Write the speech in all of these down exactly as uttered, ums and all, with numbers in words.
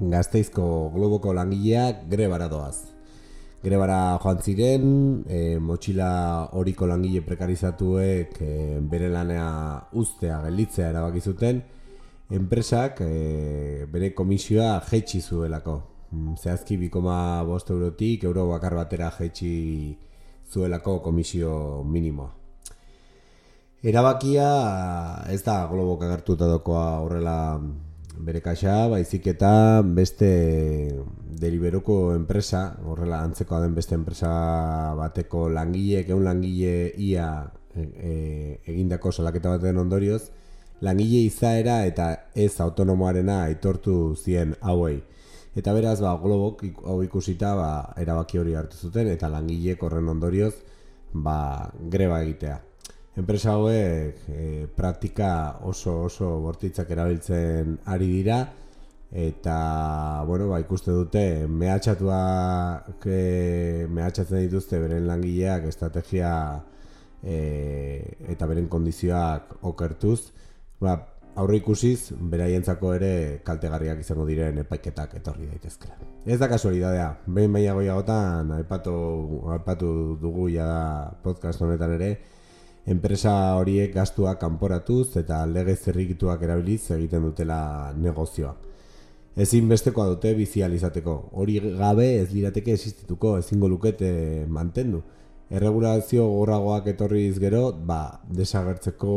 Gasteizko Globoko langileak grebara doaz. Grebara joan ziren, e, motxila horiko langile prekarizatuek e, bere lanea uztea, gelditzea erabaki zuten, enpresak e, bere komisioa jaitsi zuelako. Zehazki bi koma bost eurotik euro bakar batera jaitsi zuelako komisio minimoa. Erabakia ez da Globok agertuta dokoa horrela bere kaxa, baizik eta beste Deliveroko enpresa, horrela antzekoa den beste enpresa bateko langileek, ehun langile ia e, e, egindako salaketa baten ondorioz, langile izaera eta ez autonomoarena aitortu zien hauei. Eta beraz, ba, Globok hau ikusita ba, erabaki hori hartu zuten eta langileek horren ondorioz ba, greba egitea. Enpresa hauek e, praktika oso oso bortitzak erabiltzen ari dira eta bueno, ba, ikuste dute mehatxatuak e, mehatxatzen dituzte beren langileak estrategia e, eta beren kondizioak okertuz, ba, aurre ikusiz beraientzako ere kaltegarriak izango diren epaiketak etorri daitezkela. Ez da kasualidadea, behin baina goiagotan aipatu, aipatu dugu ja podcast honetan ere, enpresa horiek gastuak kanporatuz eta lege zerrikituak erabiliz egiten dutela negozioa. Ezinbestekoa dute bizial izateko. Hori gabe ez lirateke existituko, ezingo lukete mantendu. Erregulazio gogorragoak etorriz gero, ba, desagertzeko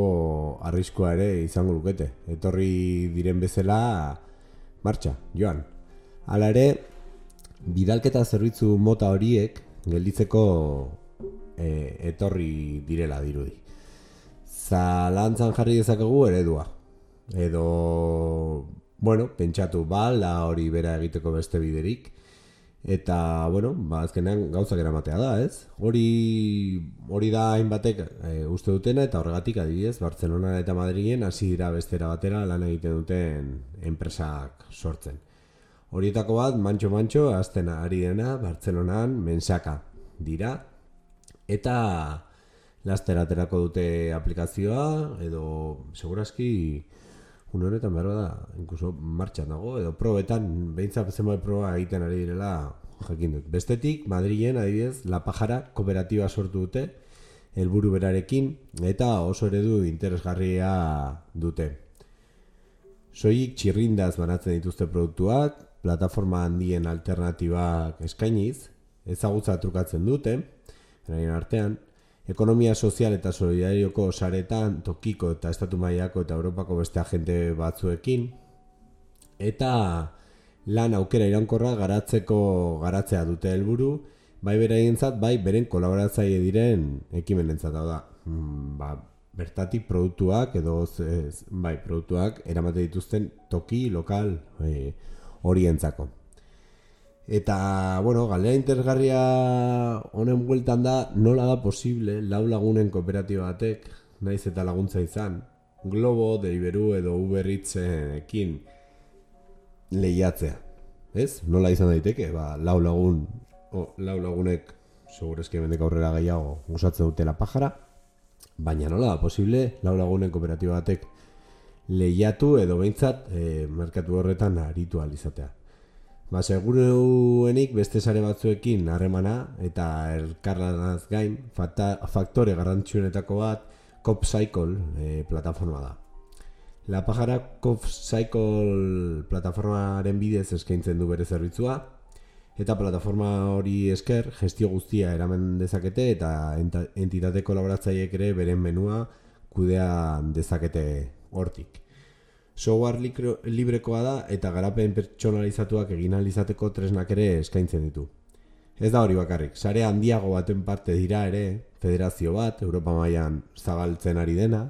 arriskua ere izango lukete. Etorri diren bezala, martxa, joan. Hala ere, bidalketa zerbitzu mota horiek gelditzeko e, etorri direla dirudi. Zalantzan jarri dezakegu eredua. Edo, bueno, pentsatu bal, da hori bera egiteko beste biderik. Eta, bueno, ba, azkenean gauzak eramatea da, ez? Hori, hori da hainbatek e, uste dutena eta horregatik adibidez, Bartzelona eta Madrilen hasi dira bestera batera lan egiten duten enpresak sortzen. Horietako bat, mantxo-mantxo, azten ari dena, Bartzelonan mensaka dira. Eta laster aterako dute aplikazioa, edo segurazki une honetan behar da, inkluso martxan dago, edo probetan, behintzat zenbait proba egiten ari direla jakin dut. Bestetik, Madrilen adibidez, La Pajara kooperatiba sortu dute, helburu berarekin, eta oso eredu interesgarria dute. Soilik txirrindaz banatzen dituzte produktuak, plataforma handien alternatibak eskainiz, ezagutza trukatzen dute, eraien artean, ekonomia sozial eta solidarioko saretan tokiko eta estatu mailako eta Europako beste agente batzuekin, eta lan aukera iraunkorra garatzeko garatzea dute helburu, bai beraientzat, bai beren kolaboratzaile diren ekimenentzat. Hau da, ba, bertatik produktuak edo ez, bai, produktuak eramate dituzten toki lokal e, horientzako. Eta, bueno, galdera interesgarria honen bueltan da, nola da posible lau lagunen kooperatiba batek, naiz eta laguntza izan, Globo, Deliveroo edo Uber Eatsekin lehiatzea. Ez? Nola izan daiteke? Ba, lau lagun, oh, lau lagunek, segurezki hemendik aurrera gehiago, usatzen dute La Pajara, baina nola da posible lau lagunen kooperatiba batek lehiatu edo behintzat e, merkatu horretan aritu ahal izatea. Ba, seguruenik beste sare batzuekin harremana eta elkarlanaz gain fata, faktore garrantzitsuenetako bat CopCycle e, plataforma da. La Pajara CopCycle plataformaren bidez eskaintzen du bere zerbitzua eta plataforma hori esker gestio guztia eraman dezakete eta entitate kolaboratzaileek ere beren menua kudea dezakete hortik. Software librekoa da eta garapen pertsonalizatuak egin ahal izateko tresnak ere eskaintzen ditu. Ez da hori bakarrik, sare handiago baten parte dira ere, federazio bat, Europa mailan zabaltzen ari dena,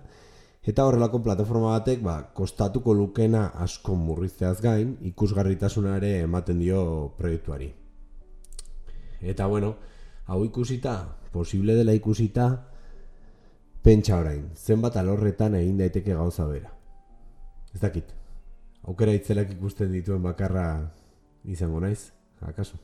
eta horrelako plataforma batek ba, kostatuko lukena asko murrizteaz gain, ikusgarritasuna ere ematen dio proiektuari. Eta bueno, hau ikusita, posible dela ikusita, pentsa orain, zenbat alorretan egin daiteke gauza bera. Ez dakit, aukera itzelak ikusten dituen bakarra izango naiz, akaso?